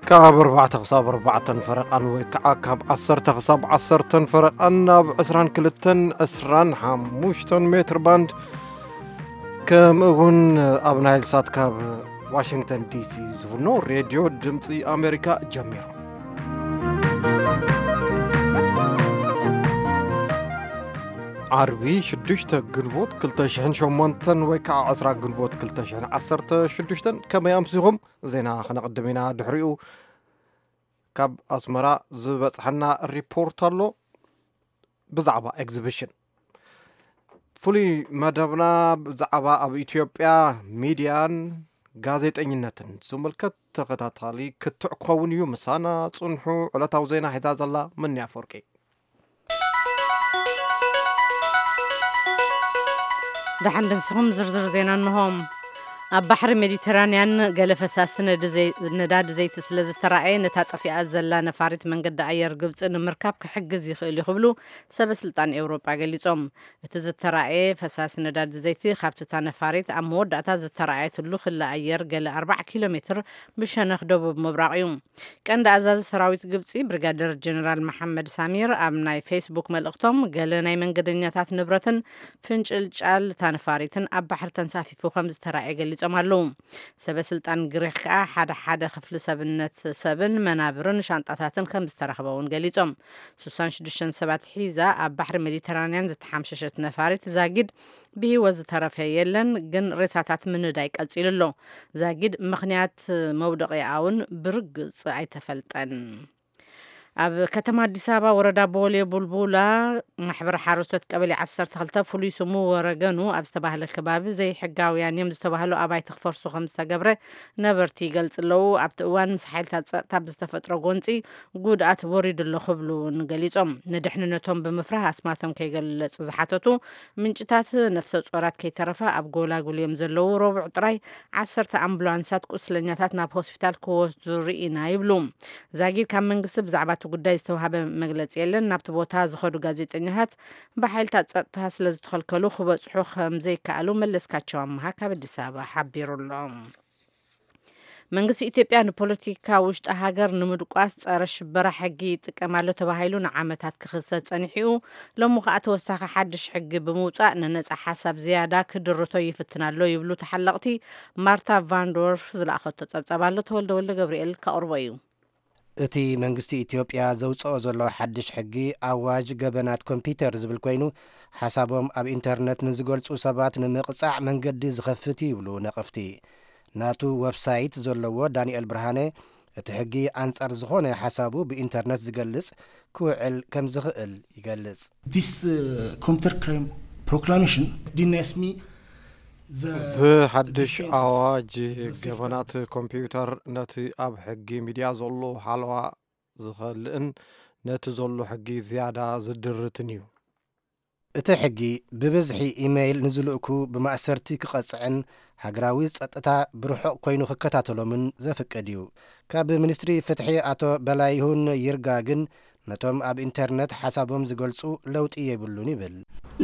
ካብ ኣርባዕተ ክሳብ ኣርባዕተን ፈረቓን ወይ ከዓ ካብ ዓሰርተ ክሳብ ዓሰርተን ፈረቓን ኣብ ዕስራን ክልተን ዕስራን ሓሙሽተን ሜትር ባንድ፣ ከምኡ እውን ኣብ ናይል ሳት ካብ ዋሽንግተን ዲሲ ዝፍኖ ሬድዮ ድምፂ ኣሜሪካ ጀሚሩ። ዓርቢ ሽዱሽተ ግንቦት ክልተ ሽሕን ሸሞንተን ወይ ከዓ ዕስራ ግንቦት ክልተ ሽሕን ዓሰርተ ሽዱሽተን። ከመይ ኣምሲኹም? ዜና ከነቕድም ኢና። ድሕሪኡ ካብ ኣስመራ ዝበጽሐና ሪፖርት ኣሎ ብዛዕባ ኤግዚቢሽን። ፍሉይ መደብና ብዛዕባ ኣብ ኢትዮጵያ ሚድያን ጋዜጠኝነትን ዝምልከት ተኸታታሊ ክትዕ ክኸውን እዩ። ምሳና ጽንሑ። ዕለታዊ ዜና ሒዛ ዘላ መኒ ኣፈወርቂ። ደሓን ደምስኹም። ዝርዝር ዜና እንሆ። ኣብ ባሕሪ ሜዲተራንያን ገለ ፈሳሲ ነዲ ዘይ-፣ ነዳዲ ዘይቲ ስለ ዝተራእየ፣ ነታ ጠፊኣ ዘላ ነፋሪት መንገዲ ኣየር ግብፂ ንምርካብ ክሕግዝ ይኽእል እዩ ክብሉ ሰበ ስልጣን ኤውሮጳ ገሊጾም። እቲ ዝተራእየ ፈሳሲ ነዳዲ ዘይቲ ካብቲ እታ ነፋሪት ኣብ መወዳእታ ዝተራእየትሉ ክሊ ኣየር ገለ ኣርባዓ ኪሎ ሜትር ብሸነኽ ደቡብ ምብራቕ እዩ። ቀንዲ ኣዛዚ ሰራዊት ግብጺ ብሪጋደር ጀነራል መሓመድ ሳሚር ኣብ ናይ ፌስቡክ መልእኽቶም፣ ገለ ናይ መንገደኛታት ንብረትን ፍንጭልጫል እታ ነፋሪትን ኣብ ባሕሪ ተንሳፊፉ ከም ዝተራእየ ገሊጾም ኣለዉ። ሰበ ስልጣን ግሪኽ ከኣ ሓደ ሓደ ክፍሊ ሰብነት ሰብን መናብርን ሻንጣታትን ከም ዝተረኽበ እውን ገሊጾም። ስሳን ሽዱሽተን ሰባት ሒዛ ኣብ ባሕሪ ሜዲተራንያን ዝተሓምሸሸት ነፋሪት ዛጊድ ብህይወት ዝተረፈ የለን፣ ግን ሬሳታት ምንዳይ ቀጺሉ ኣሎ። ዛጊድ ምኽንያት መውደቒኣውን ብርግጽ ኣይተፈልጠን። ኣብ ከተማ ኣዲስ ኣበባ ወረዳ ቦሌ ቡልቡላ ማሕበር ሓረስቶት ቀበሌ ዓሰርተ ክልተ ፍሉይ ስሙ ወረገኑ ኣብ ዝተባህለ ከባቢ ዘይሕጋውያን እዮም ዝተባህሉ ኣባይቲ ክፈርሱ ከም ዝተገብረ ነበርቲ ይገልጽ ኣለዉ። ኣብቲ እዋን ምስ ሓይልታት ጸጥታ ብዝተፈጥረ ጎንጺ ጉድኣት ወሪዱ ኣሎ ክብሉ እውን ገሊጾም። ንድሕንነቶም ብምፍራህ ኣስማቶም ከይገለጽ ዝሓተቱ ምንጭታት፣ ነፍሰ ጾራት ከይተረፈ ኣብ ጎላጉል እዮም ዘለዉ። ረቡዕ ጥራይ ዓሰርተ ኣምቡላንሳት ቁስለኛታት ናብ ሆስፒታል ክወስዱ ርኢና ይብሉ። ዛጊድ ካብ መንግስቲ ብዛዕባ እቲ ጉዳይ ዝተዋህበ መግለጺ የለን። ናብቲ ቦታ ዝኸዱ ጋዜጠኛታት ብሓይልታት ጸጥታ ስለ ዝተኸልከሉ ክበጽሑ ከም ዘይከኣሉ መለስካቸው ኣምሃ ካብ ኣዲስ ኣበባ ሓቢሩ ኣሎ። መንግስቲ ኢትዮጵያ ንፖለቲካ ውሽጢ ሃገር ንምድቋስ ጸረ ሽበራ ሕጊ ይጥቀም ኣሎ ተባሂሉ ንዓመታት ክኽሰስ ጸኒሑ፣ ሎሚ ከኣ ተወሳኺ ሓድሽ ሕጊ ብምውጻእ ንነጻ ሓሳብ ዝያዳ ክድርቶ ይፍትን ኣሎ ይብሉ ተሓለቕቲ። ማርታ ቫንዶርፍ ዝለኣኸቶ ጸብጻብ ኣሎ፣ ተወልደ ወልደ ገብርኤል ከቕርቦ እዩ። እቲ መንግስቲ ኢትዮጵያ ዘውጽኦ ዘሎ ሓድሽ ሕጊ ኣዋጅ ገበናት ኮምፒውተር ዝብል ኮይኑ፣ ሓሳቦም ኣብ ኢንተርነት ንዝገልጹ ሰባት ንምቕጻዕ መንገዲ ዝኸፍት እዩ ይብሉ ነቐፍቲ። ናቱ ወብሳይት ዘለዎ ዳንኤል ብርሃነ፣ እቲ ሕጊ ኣንጻር ዝኾነ ሓሳቡ ብኢንተርነት ዝገልጽ ክውዕል ከም ዝኽእል ይገልጽ። This uh, computer crime proclamation denies me the እዚ ሓድሽ defenses, ኣዋጅ the ገበናት safeguards. ኮምፒውተር ነቲ ኣብ ሕጊ ሚድያ ዘሎ ሓለዋ ዝኸልእን ነቲ ዘሎ ሕጊ ዝያዳ ዝድርትን እዩ። እቲ ሕጊ ብብዝሒ ኢሜይል ንዝልእኩ ብማእሰርቲ ክቐጽዕን ሃገራዊ ጸጥታ ብርሑቕ ኮይኑ ክከታተሎምን ዘፍቅድ እዩ። ካብ ሚኒስትሪ ፍትሒ ኣቶ በላይሁን ይርጋ ግን ነቶም ኣብ ኢንተርነት ሓሳቦም ዝገልጹ ለውጢ የብሉን ይብል።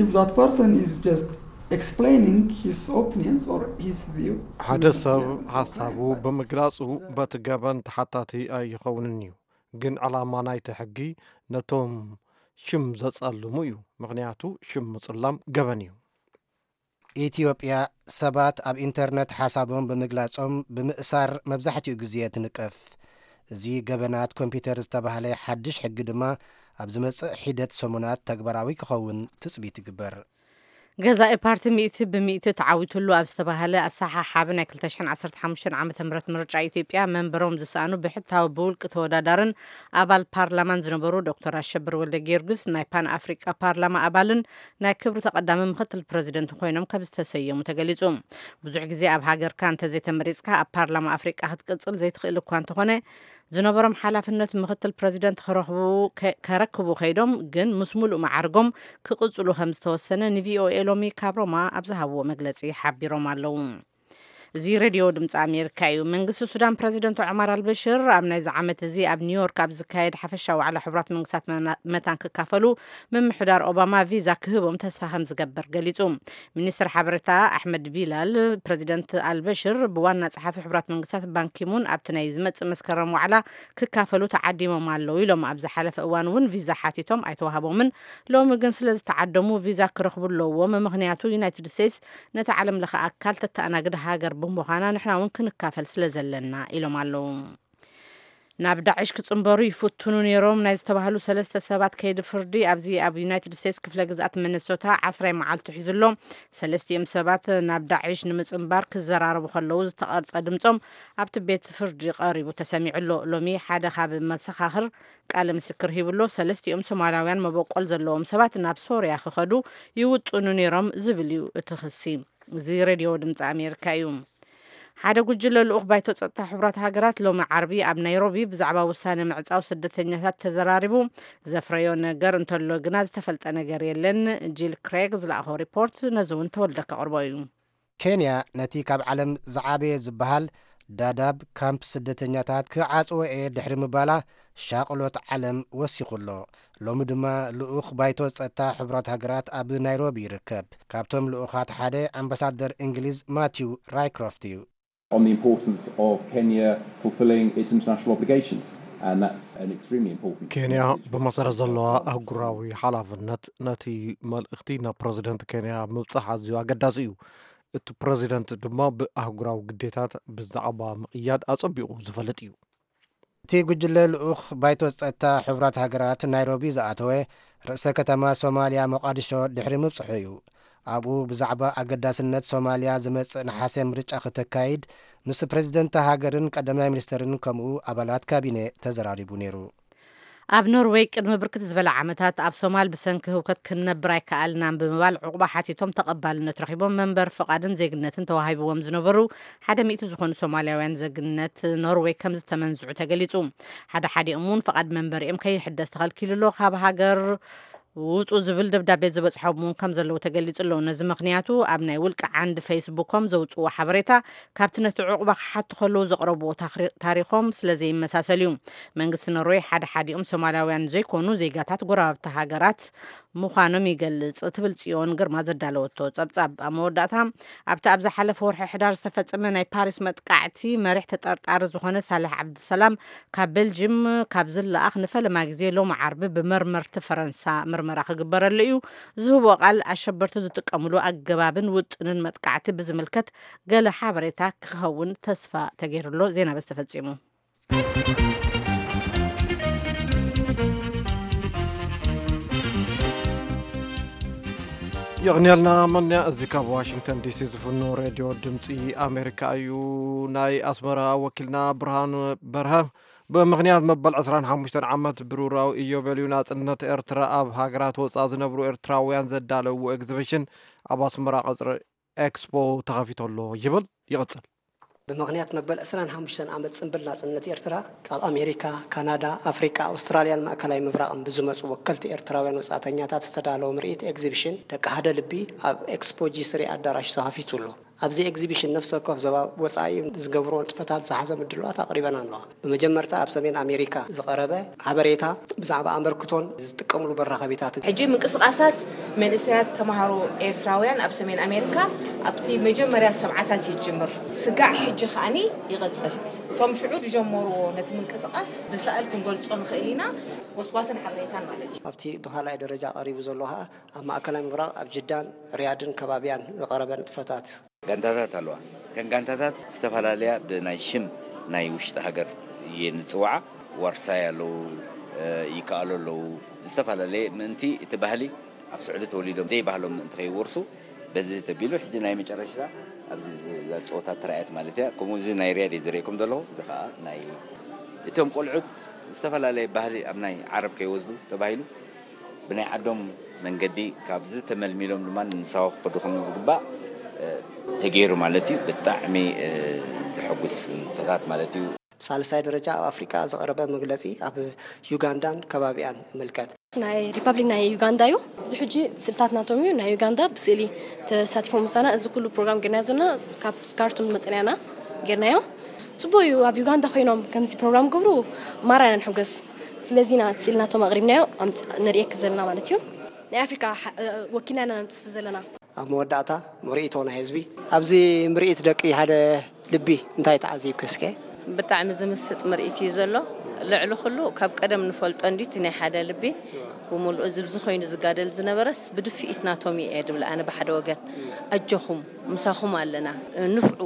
If that person is just explaining his opinions or his view, ሓደ ሰብ ሓሳቡ ብምግላጹ በቲ ገበን ተሓታቲ ኣይኸውንን እዩ። ግን ዕላማ ናይቲ ሕጊ ነቶም ሽም ዘጸልሙ እዩ። ምኽንያቱ ሽም ምጽላም ገበን እዩ። ኢትዮጵያ ሰባት ኣብ ኢንተርነት ሓሳቦም ብምግላጾም ብምእሳር መብዛሕትኡ ግዜ ትንቀፍ። እዚ ገበናት ኮምፒውተር ዝተባህለ ሓድሽ ሕጊ ድማ ኣብ ዝመጽእ ሒደት ሰሙናት ተግባራዊ ክኸውን ትጽቢት ይግበር። ገዛኢ ፓርቲ ሚእቲ ብሚእቲ ተዓዊትሉ ኣብ ዝተባህለ ኣሰሓሓቢ ናይ ክልተ ሽሕን ዓሰርተ ሓሙሽተን ዓመተ ምህረት ምርጫ ኢትዮጵያ መንበሮም ዝሰኣኑ ብሕታዊ ብውልቂ ተወዳዳርን ኣባል ፓርላማን ዝነበሩ ዶክተር ኣሸብር ወልደ ጊዮርጊስ ናይ ፓን ኣፍሪቃ ፓርላማ ኣባልን ናይ ክብሪ ተቐዳሚ ምክትል ፕረዚደንት ኮይኖም ከም ዝተሰየሙ ተገሊጹ። ብዙሕ ግዜ ኣብ ሃገርካ እንተዘይተመሪጽካ ኣብ ፓርላማ ኣፍሪቃ ክትቅጽል ዘይትኽእል እኳ እንተኾነ፣ ዝነበሮም ሓላፍነት ምክትል ፕረዚደንት ክረኽቡ ከ-፣ ከረክቡ ከይዶም ግን ምስ ሙሉእ መዓርጎም ክቕጽሉ ከም ዝተወሰነ ንቪኦኤ ሎሚ ካብ ሮማ ኣብ ዝሃብዎ መግለጺ ሓቢሮም ኣለዉ። እዚ ሬድዮ ድምፂ ኣሜሪካ እዩ። መንግስቲ ሱዳን ፕረዚደንት ዑማር ኣልበሽር ኣብ ናይዚ ዓመት እዚ ኣብ ኒውዮርክ ኣብ ዝካየድ ሓፈሻዊ ዋዕላ ሕቡራት መንግስታት መና- መታን ክካፈሉ ምምሕዳር ኦባማ ቪዛ ክህቦም ተስፋ ከም ዝገብር ገሊጹ። ሚኒስትር ሓበሬታ ኣሕመድ ቢላል፣ ፕረዚደንት ኣልበሽር ብዋና ጸሓፊ ሕቡራት መንግስታት ባንኪሙን ኣብቲ ናይ ዝመጽእ መስከረም ዋዕላ ክካፈሉ ተዓዲሞም ኣለዉ ኢሎም። ኣብ ዝሓለፈ እዋን እውን ቪዛ ሓቲቶም ኣይተዋህቦምን። ሎሚ ግን ስለ ዝተዓደሙ ቪዛ ክረኽቡ ኣለዎም። ምኽንያቱ ዩናይትድ ስቴትስ ነቲ ዓለም ለኸ ኣካል ተተኣናግድ ሃገር ብምዃና ንሕና እውን ክንካፈል ስለ ዘለና ኢሎም ኣለዉ። ናብ ዳዕሽ ክጽንበሩ ይፍትኑ ነይሮም ናይ ዝተባህሉ ሰለስተ ሰባት ከይዲ ፍርዲ ኣብዚ ኣብ ዩናይትድ ስቴትስ ክፍለ ግዝኣት ሚነሶታ ዓስራይ መዓልቱ ሒዙ ኣሎ። ሰለስቲኦም ሰባት ናብ ዳዕሽ ንምጽንባር ክዘራረቡ ከለዉ ዝተቐርጸ ድምጾም ኣብቲ ቤት ፍርዲ ቀሪቡ ተሰሚዑ ኣሎ። ሎሚ ሓደ ካብ መሰኻኽር ቃለ ምስክር ሂቡ ኣሎ። ሰለስቲኦም ሶማላውያን መበቆል ዘለዎም ሰባት ናብ ሶርያ ክኸዱ ይውጥኑ ነይሮም ዝብል እዩ እቲ ክሲ። እዚ ሬድዮ ድምፂ ኣሜሪካ እዩ። ሓደ ጉጅለ ልኡኽ ባይቶ ጸጥታ ሕቡራት ሃገራት ሎሚ ዓርቢ ኣብ ናይሮቢ ብዛዕባ ውሳነ ምዕጻው ስደተኛታት ተዘራሪቡ። ዘፍረዮ ነገር እንተሎ ግና ዝተፈልጠ ነገር የለን። ጂል ክሬግ ዝለኣኾ ሪፖርት ነዚ እውን ተወልደ ከቕርቦ እዩ። ኬንያ ነቲ ካብ ዓለም ዝዓበየ ዝበሃል ዳዳብ ካምፕ ስደተኛታት ክዓጽዎ እየ ድሕሪ ምባላ ሻቕሎት ዓለም ወሲኹ ኣሎ። ሎሚ ድማ ልኡኽ ባይቶ ጸጥታ ሕቡራት ሃገራት ኣብ ናይሮቢ ይርከብ። ካብቶም ልኡኻት ሓደ ኣምባሳደር እንግሊዝ ማቲው ራይክሮፍት እዩ። On the importance of Kenya fulfilling its international obligations, and that's an extremely important ኬንያ ብመሰረት ዘለዋ ኣህጉራዊ ሓላፍነት ነቲ መልእኽቲ ናብ ፕረዚደንት ኬንያ ምብጻሕ ኣዝዩ ኣገዳሲ እዩ። እቲ ፕረዚደንት ድማ ብኣህጉራዊ ግዴታት ብዛዕባ ምቕያድ ኣጸቢቑ ዝፈልጥ እዩ። እቲ ጉጅለ ልኡኽ ባይቶ ጸጥታ ሕቡራት ሃገራት ናይሮቢ ዝኣተወ ርእሰ ከተማ ሶማልያ ሞቓዲሾ ድሕሪ ምብጽሑ እዩ። ኣብኡ ብዛዕባ ኣገዳስነት ሶማልያ ዝመጽእ ነሓሰ ምርጫ ክተካይድ ምስ ፕረዚደንት ሃገርን ቀዳማይ ሚኒስተርን ከምኡ ኣባላት ካቢነ ተዘራሪቡ ነይሩ። ኣብ ኖርወይ ቅድሚ ብርክት ዝበለ ዓመታት ኣብ ሶማል ብሰንኪ ህውከት ክንነብር ኣይከኣልናን ብምባል ዕቑባ ሓቲቶም ተቐባልነት ረኺቦም መንበር ፍቓድን ዜግነትን ተዋሂብዎም ዝነበሩ ሓደ ሚእቲ ዝኾኑ ሶማልያውያን ዜግነት ኖርወይ ከም ዝተመንዝዑ ተገሊጹ። ሓደ ሓዲኦም እውን ፍቓድ መንበሪኦም ከይሕደስ ተኸልኪሉ ኣሎ። ካብ ሃገር ውጹ ዝብል ደብዳቤ ዝበጽሖም እውን ከም ዘለዉ ተገሊጹ ኣሎ። ነዚ ምኽንያቱ ኣብ ናይ ውልቂ ዓንዲ ፌስቡኮም ዘውጽዎ ሓበሬታ ካብቲ ነቲ ዕቑባ ክሓቱ ከለዉ ዘቕረብዎ ታኽሪ- ታሪኾም ስለ ዘይመሳሰል እዩ። መንግስቲ ኖርወይ ሓደ ሓዲኦም ሶማላውያን ዘይኮኑ ዜጋታት ጎረባብቲ ሃገራት ምዃኖም ይገልጽ ትብል ጽዮን ግርማ ዘዳለወቶ ጸብጻብ። ኣብ መወዳእታ ኣብቲ ኣብ ዝሓለፈ ወርሒ ሕዳር ዝተፈጸመ ናይ ፓሪስ መጥቃዕቲ መሪሕ ተጠርጣሪ ዝኾነ ሳልሕ ዓብድሰላም ካብ ቤልጅም ካብ ዝለኣኽ ንፈለማ ግዜ ሎሚ ዓርቢ ብመርመርቲ ፈረንሳ ምርመራ ክግበረሉ እዩ። ዝህቦ ቃል ኣሸበርቲ ዝጥቀምሉ ኣገባብን ውጥንን መጥቃዕቲ ብዝምልከት ገለ ሓበሬታ ክኸውን ተስፋ ተገይሩሎ። ዜና በዚ ተፈጺሙ። የቕንየልና መንያ። እዚ ካብ ዋሽንግተን ዲሲ ዝፍኖ ሬድዮ ድምፂ ኣሜሪካ እዩ። ናይ ኣስመራ ወኪልና ብርሃን በርሀ ብምኽንያት መበል ዕስራን ሓሙሽተን ዓመት ብሩራዊ ኢዮቤልዩ ናጽነት ኤርትራ ኣብ ሃገራት ወጻኢ ዝነብሩ ኤርትራውያን ዘዳለውዎ ኤግዚቢሽን ኣብ ኣስመራ ቀጽሪ ኤክስፖ ተኸፊቱ ኣሎ ይብል። ይቕጽል። ብምኽንያት መበል ዕስራን ሓሙሽተን ዓመት ጽንብል ናጽነት ኤርትራ ካብ ኣሜሪካ፣ ካናዳ፣ ኣፍሪቃ፣ ኣውስትራልያን ማእከላይ ምብራቕን ብዝመጹ ወከልቲ ኤርትራውያን ወጻእተኛታት ዝተዳለወ ምርኢት ኤግዚቢሽን ደቂ ሓደ ልቢ ኣብ ኤክስፖ ጂ ስሪ ኣዳራሽ ተኸፊቱ ኣሎ። ኣብዚ ኤግዚቢሽን ነፍሲ ወከፍ ዞባ ወጻኢ ዝገብርዎ ንጥፈታት ዝሓዘ ምድላዋት ኣቕሪበን ኣለዋ። ብመጀመርታ ኣብ ሰሜን ኣሜሪካ ዝቐረበ ሓበሬታ ብዛዕባ ኣመርክቶን ዝጥቀምሉ መራኸቢታትን። ሕጂ ምንቅስቓሳት መንእሰያት ተምሃሮ ኤርትራውያን ኣብ ሰሜን ኣሜሪካ ኣብቲ መጀመርያ ሰብዓታት ይጅምር። ስጋዕ ሕጂ ከኣኒ ይቕጽል። እቶም ሽዑ ዝጀመርዎ ነቲ ምንቅስቓስ ብስእል ክንገልጾ ንኽእል ኢና፣ ጎስጓስን ሓበሬታን ማለት እዩ። ኣብቲ ብኻልኣይ ደረጃ ቀሪቡ ዘሎ ኸኣ ኣብ ማእከላይ ምብራቕ ኣብ ጅዳን ሪያድን ከባቢያን ዝቐረበ ንጥፈታት። ጋንታታት ኣለዋ። እተን ጋንታታት ዝተፈላለያ ብናይ ሽም ናይ ውሽጢ ሃገር እየን ዝፅውዓ። ዋርሳይ ኣለዉ፣ ይከኣሉ ኣለዉ። ዝተፈላለየ ምእንቲ እቲ ባህሊ ኣብ ስዑዲ ተወሊዶም ዘይባህሎም ምእንቲ ከይወርሱ በዚ ተቢሉ ሕጂ ናይ መጨረሽታ ኣብዚ እዛ ፀወታ ተራእየት ማለት እያ። ከምኡ እዚ ናይ ሪያድ እየ ዝርእየኩም ዘለኹ። እዚ ከዓ ናይ እቶም ቆልዑት ዝተፈላለየ ባህሊ ኣብ ናይ ዓረብ ከይወስዱ ተባሂሉ ብናይ ዓዶም መንገዲ ካብዚ ተመልሚሎም ድማ ንሳዋ ክኸዱ ከም ዝግባእ ተገይሩ ማለት እዩ። ብጣዕሚ ዘሐጉስ ንጥፈታት ማለት እዩ። ሳልሳይ ደረጃ ኣብ ኣፍሪቃ ዝቐረበ መግለጺ ኣብ ዩጋንዳን ከባቢኣን ይምልከት። ናይ ሪፓብሊክ ናይ ዩጋንዳ እዩ። እዚ ሕጂ ስእልታት ናቶም እዩ። ናይ ዩጋንዳ ብስእሊ ተሳቲፎም ምሳና። እዚ ኩሉ ፕሮግራም ጌርና ዘለና ካብ ካርቱም መጸናና ጌርናዮ። ጽቡቅ እዩ። ኣብ ዩጋንዳ ኮይኖም ከምዚ ፕሮግራም ገብሩ ማራ ኢና ንሕጎስ። ስለዚ ኢና ስእሊ ናቶም ኣቕሪብናዮ ኣምጽ-፣ ነርእየክ ዘለና ማለት እዩ። ናይ ኣፍሪካ ሓ-፣ እ፣ ወኪልና ኢና ነምጽእ ዘለና። ኣብ መወዳእታ ምርኢት ናይ ህዝቢ። ኣብዚ ምርኢት ደቂ ሓደ ልቢ እንታይ ተዓዚብኪ እስከ? ብጣዕሚ ዝምስጥ ምርኢት እዩ ዘሎ። ልዕሊ ኩሉ ካብ ቀደም ንፈልጦ እንዲ እቲ ናይ ሓደ ልቢ ብምሉኡ እዚ ብዚ ኮይኑ ዝጋደል ዝነበረስ ብድፍኢት ናቶም እየ ድብል ኣነ ብሓደ ወገን። ኣጆኹም ምሳኹም ኣለና ንፍዑ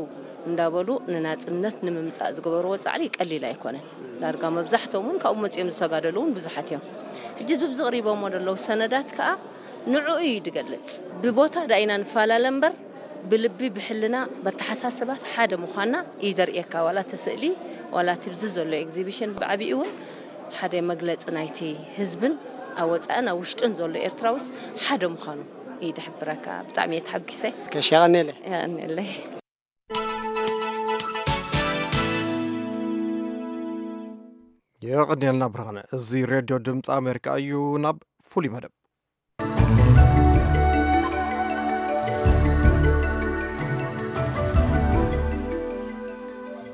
እንዳበሉ ንናጽነት ንምምጻእ ዝገበርዎ ጻዕሪ ቀሊል ኣይኮነን። ዳርጋ መብዛሕቶም እውን ካብኡ መጺኦም ዝተጋደሉ እውን ብዙሓት እዮም። ሕጂ እዚ ብዚ ቅሪቦሞ ዘለዉ ሰነዳት ከኣ ንዕኡ እዩ ዝገልጽ። ብቦታ ዳኢና ንፈላለ እምበር ብልቢ ብሕልና በተሓሳስባስ ሓደ ምዃንና እዩ ዘርእየካ። ዋላ እቲ ስእሊ ዋላ እቲ ብዚ ዘሎ ኤግዚቢሽን ብዓቢኡ እውን ሓደ መግለጺ ናይቲ ህዝብን ኣብ ወጻእን ኣብ ውሽጥን ዘሎ ኤርትራውስ ሓደ ምዃኑ እዩ ዝሕብረካ። ብጣዕሚ እየ ተሓጒሰ። ከሽ የቐንየለይ። የቐንየለይ። የቐንየልና ብርሃነ። እዚ ሬድዮ ድምፂ ኣሜሪካ እዩ። ናብ ፍሉይ መደብ።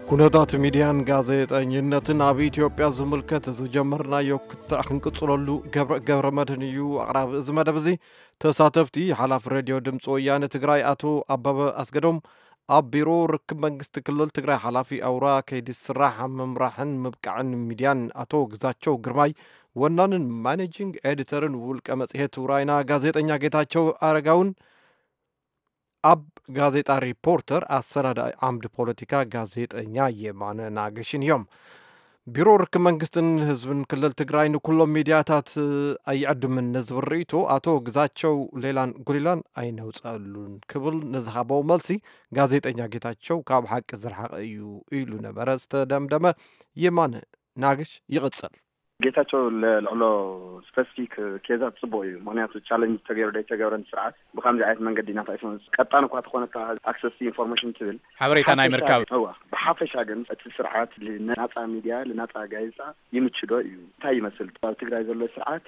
ኩነታት ሚድያን ጋዜጠኝነትን ኣብ ኢትዮጵያ ዝምልከት ዝጀመርናዮ ክትዕ ክንቅጽለሉ ገብረ፣ ገብረ መድህን እዩ ኣቕራቢ እዚ መደብ እዚ። ተሳተፍቲ ሓላፊ ሬድዮ ድምፂ ወያነ ትግራይ ኣቶ ኣበበ ኣስገዶም፣ ኣብ ቢሮ ርክብ መንግስቲ ክልል ትግራይ ሓላፊ ኣውራ ከይዲ ስራሕ ምምራሕን ምብቃዕን ሚድያን ኣቶ ግዛቸው ግርማይ፣ ወናንን ማኔጂንግ ኤዲተርን ውልቀ መጽሔት ውራይና ጋዜጠኛ ጌታቸው ኣረጋውን፣ ኣብ ጋዜጣ ሪፖርተር ኣሰናዳኢ ዓምዲ ፖለቲካ ጋዜጠኛ የማነ ናገሽን እዮም። ቢሮ ርክብ መንግስትን ህዝብን ክልል ትግራይ ንኩሎም ሚድያታት ኣይዕድምን ንዝብል ርእይቶ ኣቶ ግዛቸው ሌላን ጉሊላን ኣይነውፀሉን ክብል ንዝሃበው መልሲ፣ ጋዜጠኛ ጌታቸው ካብ ሓቂ ዝረሓቐ እዩ ኢሉ ነበረ ዝተደምደመ የማነ ናግሽ ይቕጽል። ጌታቸው ለልዕሎ ስፐሲፊክ ኬዛት ጽቡቕ እዩ። ምኽንያቱ ቻለንጅ ተገይሩ ዘይተገብረን ስርዓት ብከምዚ ዓይነት መንገዲ እናተኣይሶም ቀጣን እኳ ተኾነታ ኣክሰስ ኢንፎርሜሽን ትብል ሓበሬታ ናይ ሓፈሻ ምርካብ። እዋ፣ ብሓፈሻ ግን እቲ ስርዓት ልናጻ ሚድያ፣ ልናጻ ጋዜጣ ይምችዶ እዩ? እንታይ ይመስል? ኣብ ትግራይ ዘሎ ስርዓት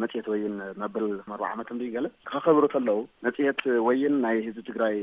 መጽሔት ወይን መበል ኣርባዓ ዓመት እንዲ ገለ ከኸብሩ ከለዉ፣ መጽሔት ወይን ናይ ህዝቢ ትግራይ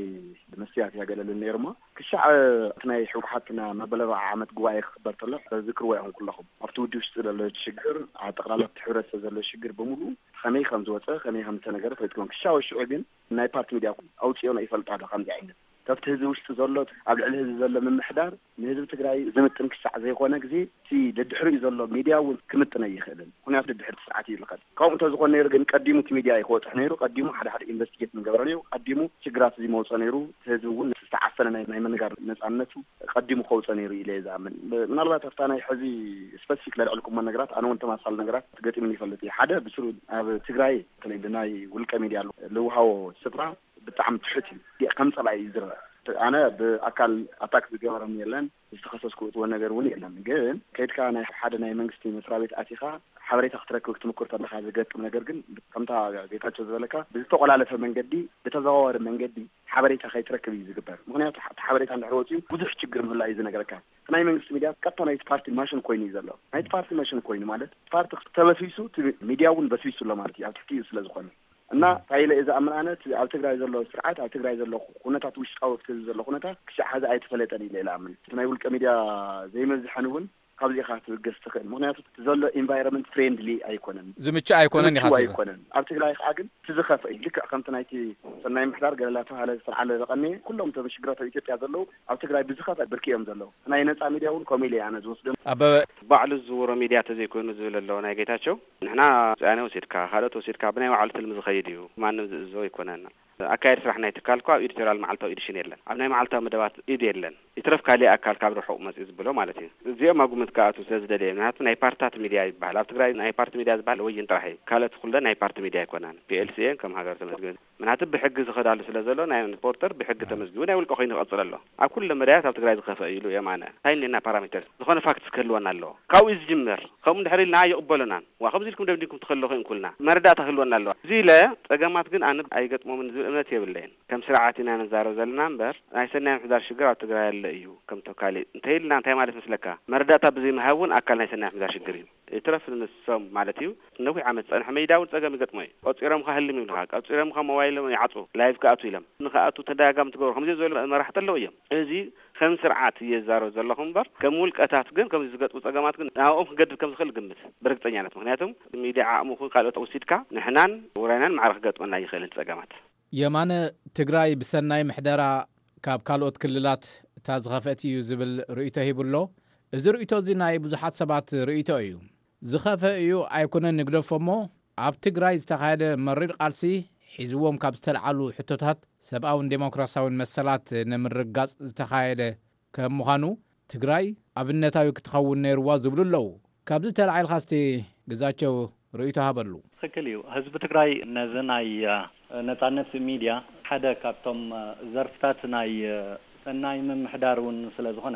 መስትያት እያ ገለ ልል ነይሩ እሞ፣ ክሻዕ እቲ ናይ ህወሓትና መበል ኣርባዓ ዓመት ጉባኤ ክኽበር ከሎ ዝክርዎ ኢኹም ኩለኹም። ኣብቲ ውዲ ውሽጢ ዘሎ ሽግር፣ ኣብ ጠቕላላ ኣብቲ ሕብረተሰብ ዘሎ ሽግር ብምሉኡ ከመይ ከም ዝወፀ፣ ከመይ ከም ዝተነገረ ፈሊጥኩም። ክሻዕ ሽዑ ግን ናይ ፓርቲ ሚድያ ኣውፅኦና ይፈልጣ ዶ ከምዚ ዓይነት? ካብቲ ህዝቢ ውሽጢ ዘሎ፣ ኣብ ልዕሊ ህዝቢ ዘሎ ምምሕዳር ንህዝቢ ትግራይ ዝምጥን ክሻዕ ዘይኮነ ግዜ፣ እቲ ደድሕሪኡ ዘሎ ሚድያ እውን ክምጥን ኣይኽእልን። ምኽንያቱ ደድሕሪ እቲ ስርዓት እዩ ዝኸድ። ከምኡ እንተዝኾን ነይሩ ግን ቀዲሙ እቲ ሚድያ እዩ ክወፅሕ ነይሩ። ቀዲሙ ሓደ ሓደ ኢንቨስቲጌት ምገበረ ነይሩ። ቀዲሙ ሽግራት እዚ መውፀ ነይሩ። እቲ ህዝቢ እውን ዝተዓፈነ ናይ፣ ናይ ምንጋር ነፃነቱ ቀዲሙ ከውፀ ነይሩ ኢለ እየ ዝኣምን። ብ-፣ ምናልባት ኣብታ ናይ ሕዚ ስፐሲፊክ ለልዕልኩሞ ነገራት ኣነ እውን ተማሳሊ ነገራት ገጢሙኒ ይፈልጥ እዩ። ሓደ ብስሩ ኣብ ትግራይ በተለይ ብናይ ውልቀ ሚድያ ልውሃቦ ስፍራ ብጣዕሚ ትሑት እዩ። ከም ጸላኢ እዩ ዝረአ። ኣነ ብኣካል ኣታክ ዝገበረኒ የለን፣ ዝተኸሰስኩ እትወ ነገር እውን የለን። ግን ከይድካ ናይ ሓደ ናይ መንግስቲ መስሪያ ቤት ኣቲኻ ሓበሬታ ክትረክብ ክትምክር ተለኻ ዝገጥም ነገር ግን ከምታ ጌታቸው ዝበለካ ብዝተቆላለፈ መንገዲ፣ ብተዘዋዋሪ መንገዲ ሓበሬታ ከይትረክብ እዩ ዝግበር። ምኽንያቱ እቲ ሓበሬታ እንድሕር ወፂኡ ብዙሕ ችግር ምህላ እዩ ዝነገረካ። እቲ ናይ መንግስቲ ሚድያ ቀጥታ ናይቲ ፓርቲ ማሽን ኮይኑ እዩ ዘሎ። ናይቲ ፓርቲ ማሽን ኮይኑ ማለት ፓርቲ ተበስቢሱ እቲ ሚድያ እውን በስቢሱ ኣሎ ማለት እዩ፣ ኣብ ትሕቲ እዩ ስለ ዝኾነ። እና እንታይ ኢለ እየ ዝኣምን ኣነ፣ እቲ ኣብ ትግራይ ዘሎ ስርዓት፣ ኣብ ትግራይ ዘሎ ኩነታት፣ ውሽጣዊ ኣብቲ ህዝቢ ዘሎ ኩነታት ክሻዕ ሐዚ ኣይተፈለጠን ኢለ እየ ዝኣምን። እቲ ናይ ውልቀ ሚድያ ዘይመዝሐን እውን ካብዚ ኢኻ ክትብገስ ትኽእል። ምኽንያቱ እቲ ዘሎ ኢንቫይሮንመንት ፍሬንድሊ ኣይኮነን። ዝምቹ ኣይኮነን ኢኻ ምቹው ትብል። ኣይኮነን። ኣብ ትግራይ ከዓ ግን እቲ ዝኸፍአ እዩ። ልክዕ ከምቲ ናይቲ ሰናይ ምሕዳር ገለ እናተባህለ ዝተልዓለ ዝቐነየ፣ ኩሎም እቶም ሽግራት ኣብ ኢትዮጵያ ዘለዉ ኣብ ትግራይ ብዝኸፍአ ብርኪ እዮም ዘለዉ። ናይ ነፃ ሚድያ እውን ከምኡ ኢለ እየ ኣነ ዝወስዶ። ኣበበ። ባዕሉ ዝዝውሮ ሚድያ ተዘይኮይኑ ዝብል ኣሎ ናይ ጌታቸው። ንሕና ውሳነ ወሲድካ፣ ካልኦት ወሲድካ፣ ብናይ ባዕሉ ትልሚ ዝኸይድ እዩ። ማንም ዝእዝዞ ኣይኮነን። ኣካየዲ ስራሕ ናይ ትካል እኳ ኣብ ኤዲቶሪያል መዓልታዊ ኤዲሽን የለን። ኣብ ናይ መዓልታዊ መደባት ኢድ የለን። ይትረፍ ካሊእ ኣካል ካብ ርሑቕ መፅኡ ዝብሎ ማለት እዩ። እዚኦም ኣብ ግምት ክኣትዉ ስለ ዝደለየ፣ ምክንያቱ ናይ ፓርትታት ሚድያ ይበሃል። ኣብ ትግራይ ናይ ፓርቲ ሚድያ ዝበሃል ወይን ጥራሕ እዩ። ካልኦት ኩለን ናይ ፓርቲ ሚድያ ኣይኮናን። ፒኤልሲኤን ከም ሃገር ተመዝጊበን። ምክንያቱ ብሕጊ ዝኸዳሉ ስለ ዘሎ ናይ ሪፖርተር ብሕጊ ተመዝጊቡ ናይ ውልቀ ኮይኑ ይቐፅል ኣሎ። ኣብ ኩለ መዳያት ኣብ ትግራይ ዝኸፍአ እዩ ኢሉ የማነ። እንታይ እኒአና ፓራሜተር? ዝኾነ ፋክትስ ክህልወና ኣለዎ። ካብኡ እዩ ዝጅምር። ከምኡ እንድሕር ኢልና ኣይቕበሉናን። ዋ፣ ከምዚ ኢልኩም ደምዲምኩም ትኸልኹ ኢንኩልና። መረዳእታ ክህልወና ኣለዋ። እዚ ኢለ ጸገማት ግን ኣነ ኣይገጥሞምን ዝብል እምነት የብለይን። ከም ስርዓት ኢና ንዛረብ ዘለና እምበር፣ ናይ ሰናይ ምሕዳር ሽግር ኣብ ትግራይ ኣሎ እዩ። ከም ተካሊ እንተ ኢልና እንታይ ማለት መስለካ? መረዳእታ ብዘይምሃብ እውን ኣካል ናይ ሰናይ ምሕዳር ሽግር እዩ። ይትረፍ ንሶም ማለት እዩ። ነዊሕ ዓመት ዝጸንሐ ሜዳ እውን ጸገም ይገጥሞ እዩ። ቆጺሮም ከ ህልም ይብልኻ፣ ቆጺሮም ከ ሞባይሎም ይዓጹ፣ ላይቭ ክኣቱ ኢሎም። ንኽኣቱ ተደጋጋሚ ትገብሮ። ከምዚ ዝበሉ መራሕቲ ኣለዉ እዮም። እዚ ከም ስርዓት እየ ዝዛረብ ዘለኹ እምበር፣ ከም ውልቀታት ግን ከምዚ ዝገጥሙ ጸገማት ግን ናብኦም ክገድብ ከም ዝኽእል ግምት ብርግጸኛነት። ምኽንያቱም ሚድያ ዓቕሚ ይኹን ካልኦት ወሲድካ ንሕናን ውራይናን ማዕረ ክገጥመና ይኽእልን ጸገማት። የማነ፣ ትግራይ ብሰናይ ምሕደራ ካብ ካልኦት ክልላት እታ ዝኸፍአት እዩ ዝብል ርእይቶ ሂቡ ኣሎ። እዚ ርእይቶ እዚ ናይ ብዙሓት ሰባት ርእይቶ እዩ። ዝኸፍአ እዩ ኣይኮነን ንግደፎ እሞ፣ ኣብ ትግራይ ዝተኻየደ መሪር ቃልሲ ሒዝዎም ካብ ዝተልዓሉ ሕቶታት ሰብኣውን ዴሞክራሲያውን መሰላት ንምርግጋጽ ዝተኻየደ ከም ምዃኑ፣ ትግራይ ኣብነታዊ ክትኸውን ነይርዋ ዝብሉ ኣለዉ። ካብዚ ተላዒልካ እስቲ ግዛቸው ርእይቶ ሃበሉ። ትኽክል እዩ። ህዝቢ ትግራይ ነዚ ናይ፣ እ፣ ነጻነት ሚድያ ሓደ ካብቶም፣ እ፣ ዘርፍታት ናይ፣ እ፣ ሰናይ ምምሕዳር እውን ስለ ዝኾነ፣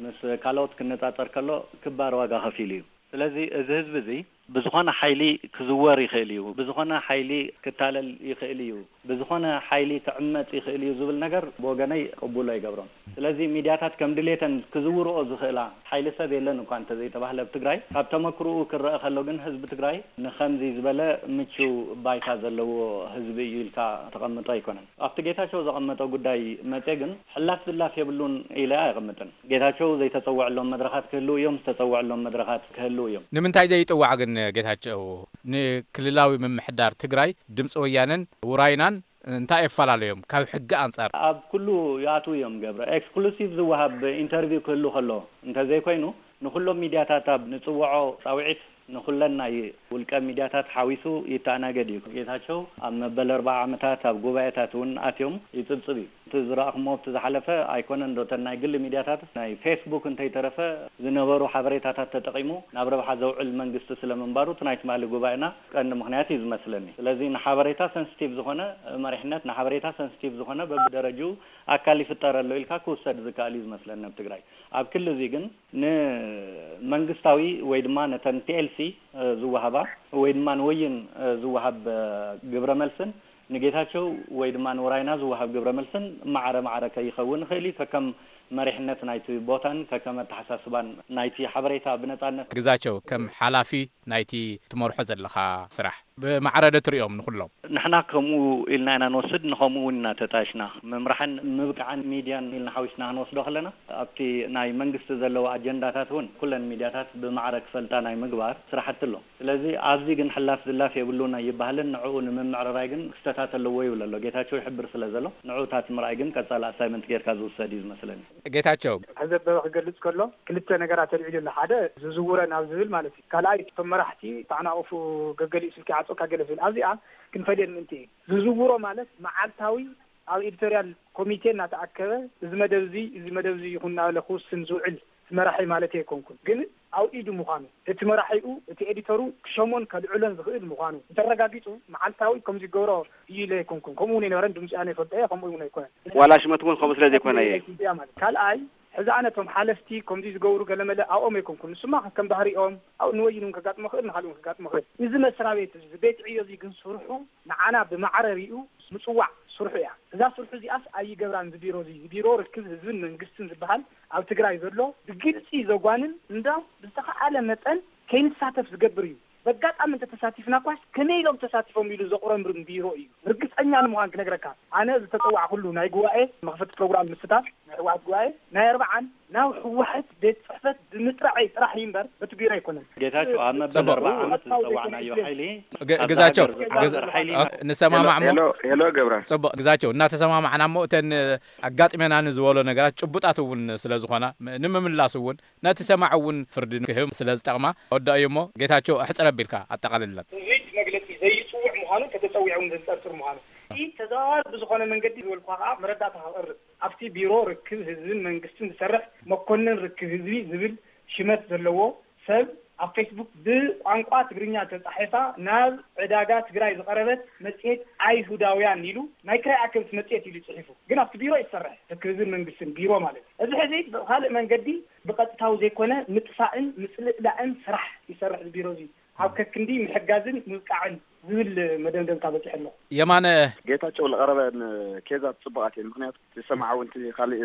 ምስ ካልኦት ክነጻጸር ከሎ ክባር ዋጋ ከፊሉ እዩ። ስለዚ እዚ ህዝቢ እዚ ብዝኾነ ሓይሊ ክዝወር ይኽእል እዩ፣ ብዝኾነ ሓይሊ ክታለል ይኽእል እዩ፣ ብዝኾነ ሓይሊ ክዕመጽ ይኽእል እዩ ዝብል ነገር ብወገነይ ቅቡል ኣይገብሮን። ስለዚ ሚድያታት ከም ድሌተን ክዝውርኦ ዝኽእላ ሓይሊ ሰብ የለን እኳ እንተዘይተባህለ ኣብ ትግራይ፣ ካብ ተመክሮኡ ክረአ ከሎ ግን ህዝቢ ትግራይ ንኸምዚ ዝበለ ምቹው ባይታ ዘለዎ ህዝቢ እዩ ኢልካ ተቐምጦ ኣይኮነን። ኣብቲ ጌታቸው ዘቐመጦ ጉዳይ መጼ ግን ሕላፍ ዝላፍ የብሉን ኢለ ኣይቐምጥን። ጌታቸው ዘይተጸውዐሎም መድረኻት ክህልው እዮም፣ ዝተጸውዐሎም መድረኻት ክህልው እዮም። ንምንታይ ዘይጥዋዕ ግን ጌታቸው? ንክልላዊ ምምሕዳር ትግራይ ድምፂ ወያነን ውራይናን እንታይ የፈላለዮም ካብ ሕጊ ኣንጻር? ኣብ ኩሉ ይኣትዉ እዮም። ገብረ፣ ኤክስክሉሲቭ ዝወሃብ ኢንተርቪው ክህሉ ከሎ እንተዘይኮይኑ፣ ንኹሎም ሚድያታት ኣብ ንጽውዖ ጻውዒት ንኹለን ናይ ውልቀ ሚድያታት ሓዊሱ ይተኣናገድ እዩ። ጌታቸው ኣብ መበል ኣርባዓ ዓመታት ኣብ ጉባኤታት እውን ኣትዮም ይጽብጽብ እዩ። እቲ ዝረኣኹሞ ኣብቲ ዝሓለፈ ኣይኮነን ዶ እተን ናይ ግሊ ሚድያታት፣ ናይ ፌስቡክ እንተይተረፈ ዝነበሩ ሓበሬታታት ተጠቒሙ ናብ ረብሓ ዘውዕል መንግስቲ ስለምንባሩ እቲ ናይ ትማሊ ጉባኤና ቀንዲ ምኽንያት እዩ ዝመስለኒ። ስለዚ ንሓበሬታ ሰንስቲቭ ዝኾነ መሪሕነት፣ ንሓበሬታ ሰንስቲቭ ዝኾነ በብደረጅኡ ኣካል ይፍጠረሉ ኢልካ ክውሰድ ዝከኣል እዩ ዝመስለኒ ኣብ ትግራይ። ኣብ ክሊ እዚ ግን ንመንግስታዊ ወይ ድማ ነተን ቲ ኤል ሲ ዝወሃባ ወይ ድማ ንወይን ዝወሃብ ግብረ መልስን ንጌታቸው ወይ ድማ ንውራይና ዝወሃብ ግብረ መልስን ማዕረ ማዕረ ከይኸውን ይኽእል እዩ። ከከም መሪሕነት ናይቲ ቦታን ከከም ኣተሓሳስባን ናይቲ ሓበሬታ ብነጻነት ግዛቸው ከም ሓላፊ ናይቲ ትመርሖ ዘለኻ ስራሕ ብማዕረ ዶ ትሪኦም ንኹሎም? ንሕና ከምኡ ኢልና ኢና ንወስድ፣ ንኸምኡ እውን ኢና ተጣይሽና። ምምራሕን ምብቃዕን ሚድያን ኢልና ሓዊስና ክንወስዶ ከለና፣ ኣብቲ ናይ መንግስቲ ዘለዎ ኣጀንዳታት እውን ኩለን ሚድያታት ብማዕረ ክፈልጣ ናይ ምግባር ስራሕቲ ኣሎ። ስለዚ ኣብዚ ግን ሕላፍ ዝላፍ የብሉን ኣይበሃልን። ንዕኡ ንምምዕርራይ ግን ክስተታት ኣለዎ ይብል ኣሎ። ጌታቸው ይሕብር ስለ ዘሎ፣ ንዕኡ እታ ምርኣይ ግን ቀጻሊ ኣሳይመንት ጌርካ ዝውሰድ እዩ ዝመስለኒ። ጌታቸው። ሕዚ ኣበበ ክገልጽ ከሎ ክልተ ነገራት ኣልዒሉ ኣሎ። ሓደ ዝዝውረን ኣብ ዝብል ማለት እዩ። ካልኣይ እቶም መራሕቲ ተዓናቑፉ ገገሊኡ ስልኪ ይዓጽወካ ገለ ዝብል። ኣብዚኣ ክንፈልየን ምእንቲ እዩ። ዝዝውሮ ማለት መዓልታዊ ኣብ ኤዲቶርያል ኮሚቴ እናተኣከበ እዚ መደብ እዚ፣ እዚ መደብ እዚ ይኹን እናበለ ክውስን ዝውዕል እቲ መራሒ ማለት ኣይኮንኩን። ግን ኣብ ኢዱ ምዃኑ፣ እቲ መራሒኡ፣ እቲ ኤዲተሩ ክሸሞን ከልዕሎን ዝኽእል ምዃኑ እንተረጋጊጹ መዓልታዊ ከም ዝገብሮ እዩ ኢለ ኣይኮንኩን። ከምኡ እውን ኣይነበረን፣ ድምፂ ኣነ ይፈልጦ እየ፣ ከምኡ እውን ኣይኮነን። ዋላ ሽመት እውን ከምኡ ስለ ዘይኮነ እየ። እዚኣ ማለት። ካልኣይ፣ ሕዚ ኣነ እቶም ሓለፍቲ ከምዚ ዝገብሩ ገለመለ ኣብኦም ኣይኮንኩን። ንሱማ ከም ባህሪኦም፣ ኣብ ንወይን እውን ከጋጥሞ ይኽእል፣ ንኻልእ እውን ከጋጥሞ ይኽእል። እዚ መስሪያ ቤት እዚ፣ ቤት ዕዮ እዚ ግን ስርሑ ንዓና ብማዕረ ሪኡ ምጽዋዕ ስርሑ እያ። እዛ ስርሑ እዚኣስ ኣይገብራን። እዚ ቢሮ እዚ፣ ቢሮ ርክብ ህዝብን መንግስትን ዝበሃል ኣብ ትግራይ ዘሎ ብግልጺ ዘጓንን እንዳው ብዝተኻኣለ መጠን ከይንሳተፍ ዝገብር እዩ። በጋጣሚ እንተተሳቲፍና እኳስ ከመይ ኢሎም ተሳቲፎም ኢሉ ዘቑረምርም ቢሮ እዩ። ርግጸኛ ንምዃን ክነግረካ፣ ኣነ ዝተጸዋዕኩሉ ናይ ጉባኤ መኽፈቲ ፕሮግራም ምስታፍ ናይ ህወሓት ጉባኤ ናይ ኣርባዓን ናብ ህወሓት ቤት ጽሕፈት ብምጥራዐይ ጥራሕ እዩ እምበር በቲ ቢሮ ኣይኮነን። ጌታቸው ኣብ መበል ጽቡቕ። ኣርባዓ ዓመት ዝተዋዕናዮ ሓይሊ ግ-፣ ኣብዛ ግዛቸው፣ ሃገር ግዝ-፣ ዝቆጻጸር ሓይሊ ኦ፣ ንሰማማዕ እሞ ሄሎ፣ ሄሎ ገብረ። ጽቡቕ፣ ግዛቸው፣ እናተሰማማዕና እሞ እተን ኣጋጢመና ንዝበሎ ነገራት ጭቡጣት እውን ስለ ዝኾና፣ ም-፣ ንምምላስ እውን ነቲ ሰማዒ እውን ፍርዲ ክህብ ስለ ዝጠቕማ፣ ወዳእዮ እሞ ጌታቸው፣ ኣሕጽር ኣቢልካ ኣጠቓልለን። እዚ መግለጺ ዘይጽውዕ ምዃኑ፣ እንተተጸዊዑ እውን ዘንጸርጽር ምዃኑ። እቲ ተዘዋዋሪ ብዝኾነ መንገዲ ዝበልኩኻ ከኣ መረዳእታ ከቕርብ። ኣብቲ ቢሮ ርክብ ህዝብን መንግስትን ዝሰርሕ መኮንን ርክብ ህዝቢ ዝብል ሽመት ዘለዎ ሰብ ኣብ ፌስቡክ ብቋንቋ ትግርኛ ተጻሒፋ ናብ ዕዳጋ ትግራይ ዝቐረበት መጽሔት ኣይሁዳውያን ኢሉ ናይ ክራይ ኣከብቲ መጽሔት ኢሉ ጽሒፉ። ግን ኣብቲ ቢሮ እዩ ዝሰርሕ፣ ርክብ ህዝብን መንግስትን ቢሮ ማለት እዩ። እዚ ሕዚ ብኻልእ መንገዲ ብቐጥታዊ ዘይኮነ ምጥፋእን ምጽልእላእን ስራሕ ይሰርሕ እዚ ቢሮ እዚ። ኣብ ከክንዲ ምሕጋዝን ምብቃዕን ዝብል መደምደምታ በፂሐ ኣለኹ። የማነ ጌታቸው ለቐረበን ኬዛት ፅቡቓት እየን። ምክንያቱ ዝሰምዓ እውን እቲ ካልእ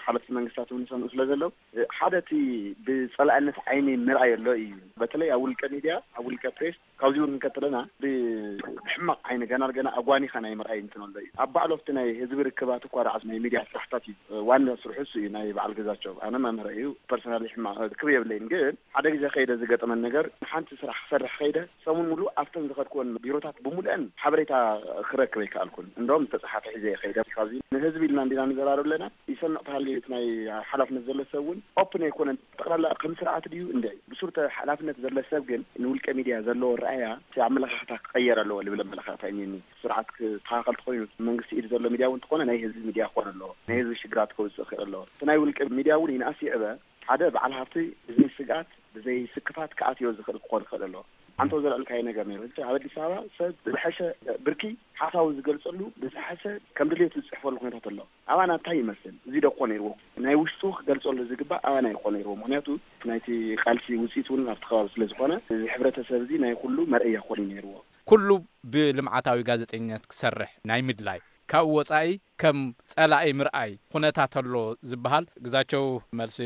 ሓለፍቲ መንግስታት እውን ይሰምዑ ስለ ዘለዉ ሓደ እቲ ብፀላእነት ዓይኒ ምርኣይ ኣሎ እዩ። በተለይ ኣብ ውልቀ ሚድያ ኣብ ውልቀ ፕሬስ ካብዚ እውን እንከተለና ብሕማቕ ዓይኒ ገና ገና ኣጓኒኻ ናይ ምርኣይ እንትን ኣሎ እዩ። ኣብ ባዕሎ ኣብቲ ናይ ህዝቢ ርክባት እኳ ደኣ ናይ ሚድያ ስራሕታት እዩ ዋና ስርሑ እሱ እዩ። ናይ በዓል ገዛቸው ኣነ መምህረ እዩ ፐርሰናሊ ሕማቕ ክብ የብለይን ግን ሓደ ግዜ ከይደ ዝገጠመን ነገር ሓንቲ ስራሕ ክሰርሕ ከይደ ሰሙን ሙሉእ ኣብተን ዝኸድኩወን ቢሮታት ብምሉአን ሓበሬታ ክረክብ ኣይከኣልኩን። እንደውም ዝተፅሓፈ ሒዘ እየ ከይደ። ካብዚ ንህዝቢ ኢልና እንዲና ንዘራረብ ኣለና። ይሰምዕ ተሃልዩ እቲ ናይ ሓላፍነት ዘሎ ሰብ እውን ኦፕን ኣይኮነን። ጠቕላላ ከም ስርዓት ድዩ እንደ ብሱር ሓላፍነት ዘሎ ሰብ ግን ንውልቀ ሚድያ ዘለዎ ረኣያ እቲ ኣመለኻኽታ ክቐየር ኣለዎ ልብል ኣመለኻኽታ እኒኒ። ስርዓት ክስተኻኸል ተኮይኑ መንግስቲ ኢድ ዘሎ ሚድያ እውን ተኾነ ናይ ህዝቢ ሚድያ ክኾን ኣለዎ። ናይ ህዝቢ ሽግራት ከውፅእ ክእል ኣለዎ። እቲ ናይ ውልቀ ሚድያ እውን ይንኣስ ይዕበ ሓደ በዓል ሃፍቲ ብዘይ ስግኣት ብዘይ ስክፋት ክኣትዮ ዝኽእል ክኾን ይኽእል ኣሎ። ኣንተ ዘልዕልካዮ ነገር ነይሩ። ኣብ ኣዲስ ኣበባ ሰብ ብዝሐሸ ብርኪ ሓሳቡ ዝገልጸሉ ብዝሐሸ ከም ድሌቱ ዝጽሕፈሉ ኩነታት ኣሎ። ኣባና እንታይ ይመስል? እዚ ዶ እኮ ነይርዎ ናይ ውሽጡ ክገልጸሉ ዝግባእ ኣባና ይኮ ነይርዎ። ምክንያቱ ናይቲ ቃልሲ ውፅኢት እውን ኣብቲ ከባቢ ስለ ዝኾነ እዚ ሕብረተሰብ እዚ ናይ ኩሉ መርአያ ክኾን እዩ ነይርዎ። ኩሉ ብልምዓታዊ ጋዜጠኝነት ክሰርሕ ናይ ምድላይ ካብኡ ወጻኢ ከም ጸላኢ ምርኣይ ኩነታት ኣሎ ዝበሃል ግዛቸው መልሲ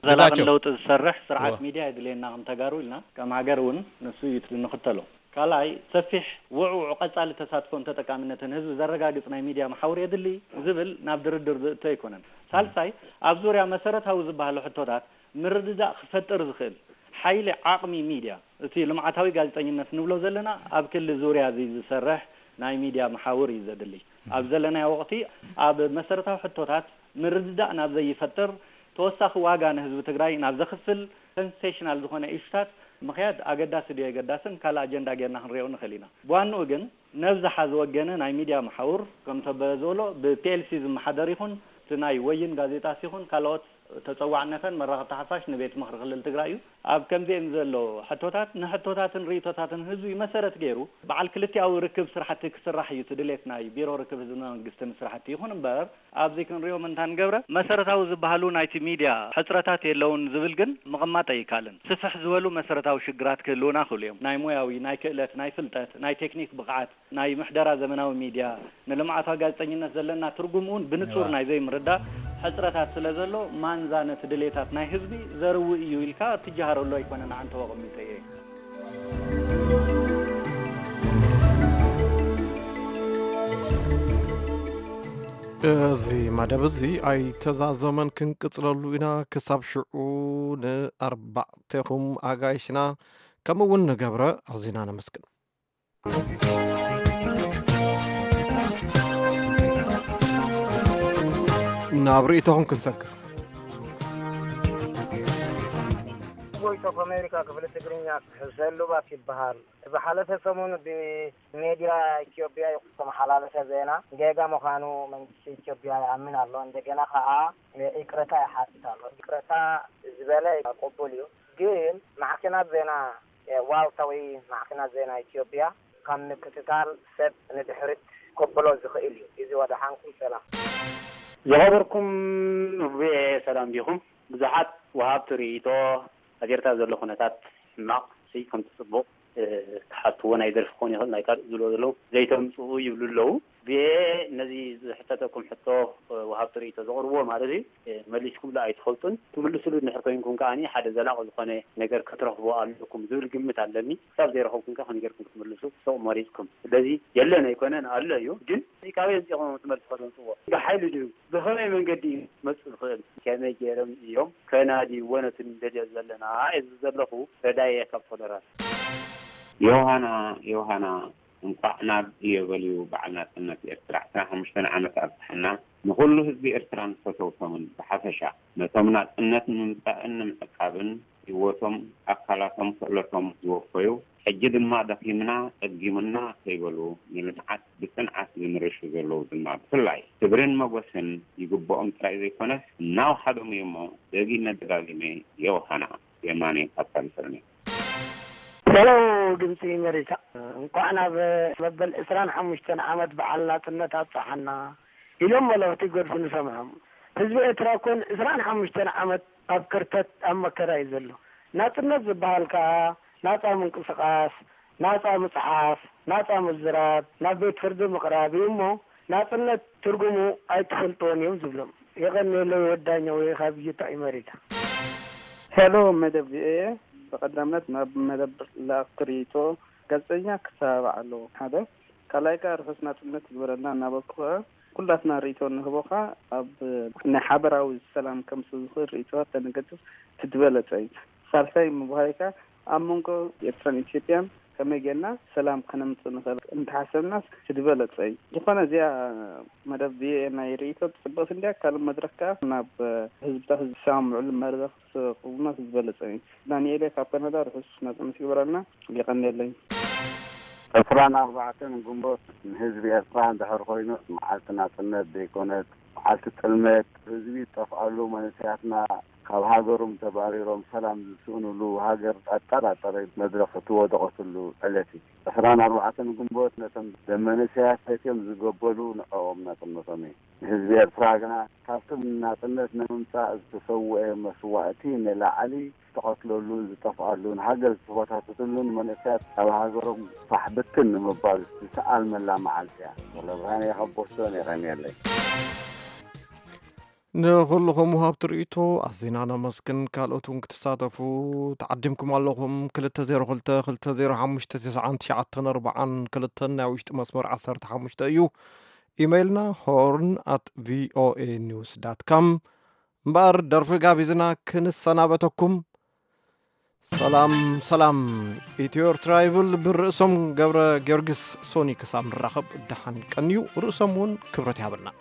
ዘላቒ ግዛቸው። ለውጢ ዝሰርሕ ስርዓት እወ። ሚድያ የድልየና ከም ተጋሩ ኢልና ከም ሃገር እውን ንሱ እዩ ንኽተሎ። ካልኣይ ሰፊሕ ውዕውዕ ቀጻሊ ተሳትፎን ተጠቃሚነትን ህዝቢ ዘረጋግጽ ናይ ሚድያ መሓውር የድሊ ዝብል ናብ ድርድር ዝእቶ ኣይኮነን። ሳልሳይ ኣብ ዙርያ መሰረታዊ ዝበሃሉ ሕቶታት ምርድዳእ ክፈጥር ዝኽእል ሓይሊ ዓቕሚ ሚድያ እቲ ልምዓታዊ ጋዜጠኝነት ንብሎ ዘለና ኣብ ክሊ ዙርያ እዚ ዝሰርሕ ናይ ሚድያ መሓውር እዩ ዘድሊ። ኣብ ዘለናዮ ወቕቲ ኣብ መሰረታዊ ሕቶታት ምርድዳእ ናብ ዘይፈጥር ተወሳኺ ዋጋ ንህዝቢ ትግራይ ናብ ዘኽፍል ሰንሴሽናል ዝኾነ ኢሹታት ምኽያድ ኣገዳሲ ድዩ ኣየገዳስን ካልእ ኣጀንዳ ጌርና ክንሪኦ ንኽእል ኢና። ብዋንኡ ግን ነብዝሓ ዝወገነ ናይ ሚድያ መሓውር ከምቶ በ ዝበሎ ብ ፒ ኤል ሲ ዝመሓደር ይኹን እቲ ናይ ወይን ጋዜጣስ ይኹን ካልኦት ተፀዋዕነተን መራኸብቲ ሓፋሽ ንቤት ምኽሪ ክልል ትግራይ እዩ። ኣብ ከምዚኤን ዘሎ ሕቶታት ንሕቶታትን ርእይቶታትን ህዝቢ መሰረት ገይሩ በዓል ክልቲኣዊ ርክብ ስራሕቲ ክስራሕ እዩ እቲ ድሌት ናይ ቢሮ ርክብ ህዝብን መንግስትን ስራሕቲ። ይኹን እምበር ኣብዚ ክንሪኦም እንታ ንገብረ መሰረታዊ ዝበሃሉ ናይቲ ሚድያ ሕፅረታት የለውን ዝብል ግን ምቕማጥ ኣይከኣልን። ስፍሕ ዝበሉ መሰረታዊ ሽግራት ክህልውና ይኽእሉ እዮም። ናይ ሞያዊ፣ ናይ ክእለት፣ ናይ ፍልጠት፣ ናይ ቴክኒክ ብቕዓት፣ ናይ ምሕደራ ዘመናዊ ሚድያ፣ ንልምዓታዊ ጋዜጠኝነት ዘለና ትርጉም እውን ብንጹር ናይ ዘይምርዳእ ሕጽረታት ስለ ዘሎ፣ ማንዛ ነቲ ድሌታት ናይ ህዝቢ ዘርዊ እዩ ኢልካ እትጀሃረሉ ኣይኮነን ኣዓንተቦ ኣቐሚጠ እየ። እዚ መደብ እዚ ኣይተዛዘመን፣ ክንቅጽለሉ ኢና። ክሳብ ሽዑ ንኣርባዕቴኹም ኣጋይሽና ከምኡ እውን ንገብረ ኣዚና ነመስግን። ናብ ርእይቶኹም ክንሰግር። ቮይስ ኦፍ ኣሜሪካ ክፍሊ ትግርኛ፣ ሕሰን ሉባስ ይበሃል። ዝሓለፈ ሰሙን ብሜድያ ኢትዮጵያ ዝተመሓላለፈ ዜና ጌጋ ምዃኑ መንግስቲ ኢትዮጵያ ይኣምን ኣሎ። እንደገና ከኣ ይቅረታ ይሓትት ኣሎ። ይቅረታ ዝበለ ቅቡል እዩ፣ ግን ማዕከናት ዜና ዋልታ ወይ ማዕከናት ዜና ኢትዮጵያ ካብ ምክትታል ሰብ ንድሕሪት ከብሎ ዝኽእል እዩ። እዚ ወደሓንኩም ሰላም። ዝኸበርኩም ቪኦኤ ሰላም ዲኹም? ብዙሓት ወሃብቲ ርእይቶ ኣብ ኤርትራ ዘሎ ኩነታት ሕማቕ ሲ ከምቲ ጽቡቕ ክሓትዎ ናይ ደርፊ ክኾን ይኽእል ናይ ካልእ ዝብልዎ ዘለዉ ዘይተምጽኡ ይብሉ ኣለዉ። ቪኦኤ ነዚ ዝሕተተኩም ሕቶ ወሃብቲ ርእይቶ ዘቕርብዎ ማለት እዩ መሊስኩምሉ ኣይትፈልጡን። ትምልስሉ እንድሕር ኮይንኩም ከኣ ሓደ ዘላቒ ዝኾነ ነገር ክትረኽቡ ኣለኩም ዝብል ግምት ኣለኒ። ክሳብ ዘይረኸብኩም ከ ከመይ ጌርኩም ክትምልሱ ሱቕ መሪጽኩም? ስለዚ የለን ኣይኮነን ኣሎ እዩ፣ ግን እዚ ካበይ ኣምጺእኩም ትመልስዎ ተምጽእዎ? ብሓይሊ ድዩ? ብኸመይ መንገዲ እዩ መጽእ ዝኽእል? ከመይ ገይሮም እዮም ከናድይዎ ነቲ ንደልዮ ዘለና? እየ ዝብል ዘለኹ። ረዳየ ካብ ኮሎራዶ። ዮሃና ዮሃና እንቋዕ ናብ እዮበልዩ በዓል ናጽነት ኤርትራ ዕስራን ሓሙሽተን ዓመት ኣብጽሓና። ንኹሉ ህዝቢ ኤርትራን ፈተውቶምን ብሓፈሻ፣ ነቶም ናጽነት ንምምጻእን ንምዕቃብን ህይወቶም፣ ኣካላቶም፣ ክእለቶም ዝወፈዩ፣ ሕጂ ድማ ደኺምና ጸጊሙና ከይበሉ ንልምዓት ብጽንዓት ዝምርሹ ዘለዉ ድማ ብፍላይ ክብርን መጎስን ይግብኦም ጥራይ ዘይኮነስ እናወሓዶም እዩ'ሞ ደጊመ ደጋጊመ ዮሃና የማነ ካብ ካሊፎርንያ። ሄሎ ድምፂ ኣሜሪካ፣ እንኳዕ ናብ መበል ዕስራን ሓሙሽተን ዓመት በዓል ናፅነት ኣብፀሓና ኢሎም መልእኽቲ ይገድፉ ንሰምዖም። ህዝቢ ኤርትራ እኮ ንዕስራን ሓሙሽተን ዓመት ኣብ ክርተት ኣብ መከራ እዩ ዘሎ። ናፅነት ዝበሃል ከዓ ናፃ ምንቅስቓስ፣ ናጻ ምጽሓፍ፣ ናጻ ምዝራብ፣ ናብ ቤት ፍርዲ ምቕራብ እዩ እሞ፣ ናጽነት ትርጉሙ ኣይትፈልጥዎን እዮም ዝብሎም። የቐንየለይ ወዳኛው ካብ ዩታ ኣሜሪካ። ሄሎ መደብ ቪኦኤ፣ ብቐዳምነት ናብ መደብ ለኣኽቲ ርእይቶ ጋዜጠኛ ክተባባዕ ኣለዎ። ሓደ ካልኣይ ከኣ ርሑስ ናጽነት ይግበረልና እናበልኩ ከኣ ኩላትና ርእይቶ እንህቦ ከኣ ኣብ ናይ ሓበራዊ ሰላም ከምጽእ ዝኽእል ርእይቶታት ተንገድፍ እቲ ዝበለጸ እዩ። ሳልሳይ ምብሃይ ከኣ ኣብ መንጎ ኤርትራን ኢትዮጵያን ከመይ ጌርና ሰላም ከነምጽእ ንኽእል እንተሓሰብናስ እቲ ዝበለጸ እዩ። ዝኾነ እዚኣ መደብ ቪኦኤ ናይ ርእይቶ ጽብቕቲ እንድያ። ካልእ መድረኽ ከኣ ናብ ህዝብታት ዝሰማምዑሉ መድረኽ ክስቕሙና እቲ ዝበለጸ እዩ። ዳንኤል ካብ ካናዳ ርሑስ ናጽነት ይግበረልና። የቐንየለይ። ዕስራን ኣርባዕተን ግንቦት ንህዝቢ ኤርትራ እንድሕር ኮይኑ መዓልቲ ናጽነት ዘይኮነት፣ መዓልቲ ጥልመት፣ ህዝቢ ዝጠፍኣሉ፣ መንእሰያትና ካብ ሃገሮም ተባሪሮም ሰላም ዝስእኑሉ፣ ሃገር ኣጠራጣሪ መድረኽ እትወደቐትሉ ዕለት እዩ። ዕስራን ኣርባዕተን ግንቦት ነቶም ደም መንእሰያት ሰትዮም ዝገበሉ ንዕኦም ናጽነቶም እዩ። ንህዝቢ ኤርትራ ግና ካብቲ ናጽነት ንምምጻእ ዝተሰውአ መስዋእቲ ንላዕሊ ዝተቐትለሉን ዝጠፍኣሉን ሃገር ዝተበታተትሉን መንእሰያት ካብ ሃገሮም ፋሕ ብትን ንምባል ዝተኣልመላ መዓልቲ እያ። ወለብርሃን እየ ካብ ቦስቶን፣ የቐንየለይ። ንኹልኹም ወሃብቲ ርእይቶ ኣዚና ነመስግን። ካልኦት እውን ክትሳተፉ ተዓዲምኩም ኣለኹም። ክልተ ዜሮ ክልተ፣ ክልተ ዜሮ ሓሙሽተ፣ ተስዓን ትሽዓተን ኣርባዓን ክልተን ናይ ውሽጢ መስመር ዓሰርተ ሓሙሽተ እዩ። ኢመይልና ሆርን ኣት ቪኦኤ ኒውስ ዳት ካም። እምበኣር ደርፊ ጋቢዝና ክንሰናበተኩም። ሰላም ሰላም፣ ኢትዮ ኤርትራ ይብል ብርእሶም ገብረ ጊዮርጊስ ሶኒ። ክሳብ ንራኸብ ደሓን ቀንዩ። ርእሶም እውን ክብረት ይሃበልና።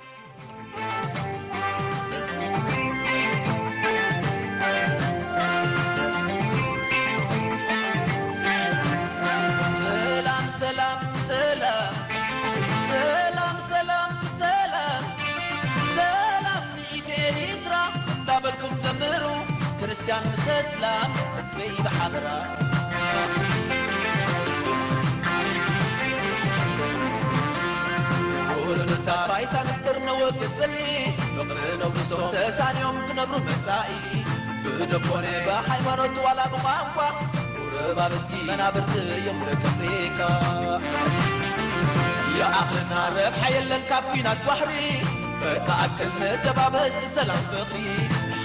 ሰላም ሰላም ሰላም ሰላም ሰላም ሰላም ሰላም ንኢትዮ ኤርትራ እንዳበልኩም ዘምሩ፣ ክርስትያን ምስ እስላም ህዝበይ ብሓበራ። ውሉድታ ባይታ ንጥር ነወግድ ጽልኢ፣ ፍቕሪ ነውርሶም ተሳንዮም ክነብሩ መጻኢ። ብደብ ኮነ ብሃይማኖት ዋላ ብቋንቋ፣ ጎረባብቲ መናብርቲ እዮም ደቂ ኣፍሪቃ። ይኣኽለና ረብሓ የለን ካብ ኲናት ባሕሪ፣ በቃ ኣክል ንተባበስ ብሰላም ፍቕሪ።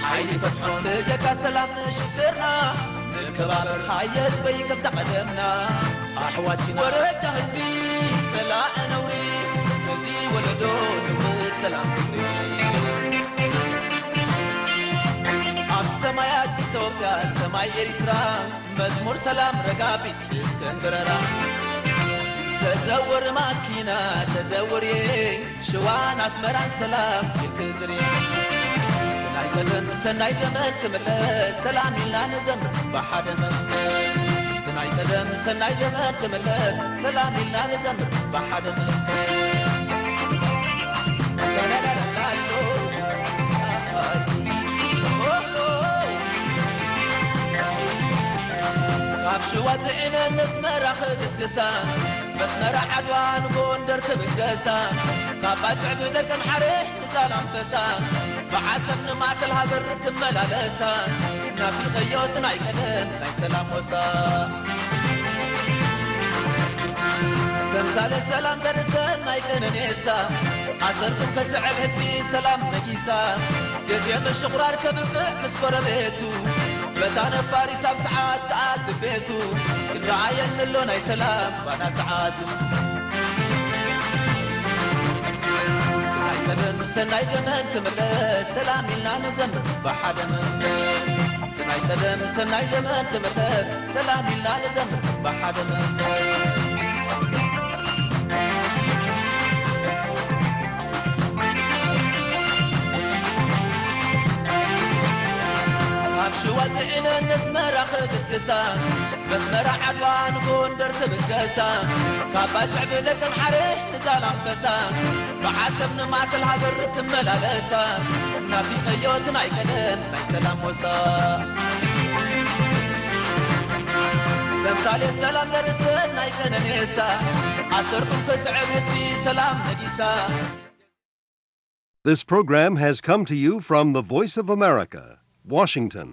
ሓይሊ ፈትሖም ብጀካ ሰላም ንሽግርና፣ ንከባበር ሃየ ህዝበይ ከምታ ቀደምና። ኣሕዋት ኢና ወረጃ ህዝቢ ጸላኢ ነውሪ፣ እዚ ወለዶ ንውርስ ሰላም ፍቕሪ። ኣብ ሰማያት ኢትዮጵያ ሰማይ ኤሪትራ፣ መዝሙር ሰላም ረጋቢት እስክንድረራ። ተዘውር ማኪና ተዘውር፣ ሽዋን ኣስመራን ሰላም ኢልክ ዝሪ። ናይ ቀደም ሰናይ ዘመን ክምለስ ሰላም ኢልና ንዘምር ብሓደ መንፈስ። ናይ ቀደም ሰናይ ዘመን ክምለስ ሰላም ኢልና ንዘምር ብሓደ መንፈስ። ካብ ሽዋ ጽዒነን ነስመራ ክግስግሳ፣ መስመራ ዓድዋ ንጎንደር ክብገሳ፣ ካብ ባጽዕ ብደቀምሓረ ንዛላምበሳ፣ ብዓሰብ ንማእከል ሃገር ክመላለሳ፣ ናፊቐዮ እቲ ናይ ቀደም ናይ ሰላም ወሳ። ተምሳሌት ሰላም ዘርእሰን ናይ ቀነኔሳ፣ ኣሰርኩም ከስዕብ ህዝቢ ሰላም ነጊሳ፣ ግዜ ምሽቑራር ከብቅዕ ምስ ጎረቤቱ፣ በታ ነባሪት ኣብ ሰዓት ከኣ ቤቱ፣ ይረኣየኒ ኣሎ ናይ ሰላም ባና ሰዓቱ። ናይ ቀደም ሰናይ ዘመን ክምለስ ሰላም ኢልና ንዘምር ብሓደ መንፈስ። ናይ ቀደም ሰናይ ዘመን ክምለስ ሰላም ኢልና ንዘምር ብሓደ መንፈስ። ካብ ሽዋ ጽዒነን ነስመራ ክግስግሳ፣ መስመራ ዓድዋ ንጎንደር ክብገሳ፣ ካብ ባጽዕ ብደቀምሓረ ንዛላምበሳ፣ ብዓሰብ ንማእከል ሃገር ክመላለሳ፣ ናፊቐዮ እቲ ናይ ቀደም ናይ ሰላም ወሳ። ተምሳሌት ሰላም ዘርእሰን ናይ ቀነኔሳ፣ ኣሰርኩም ክስዕብ ህዝቢ ሰላም ነጊሳ። This program has come to you from the Voice of America, Washington.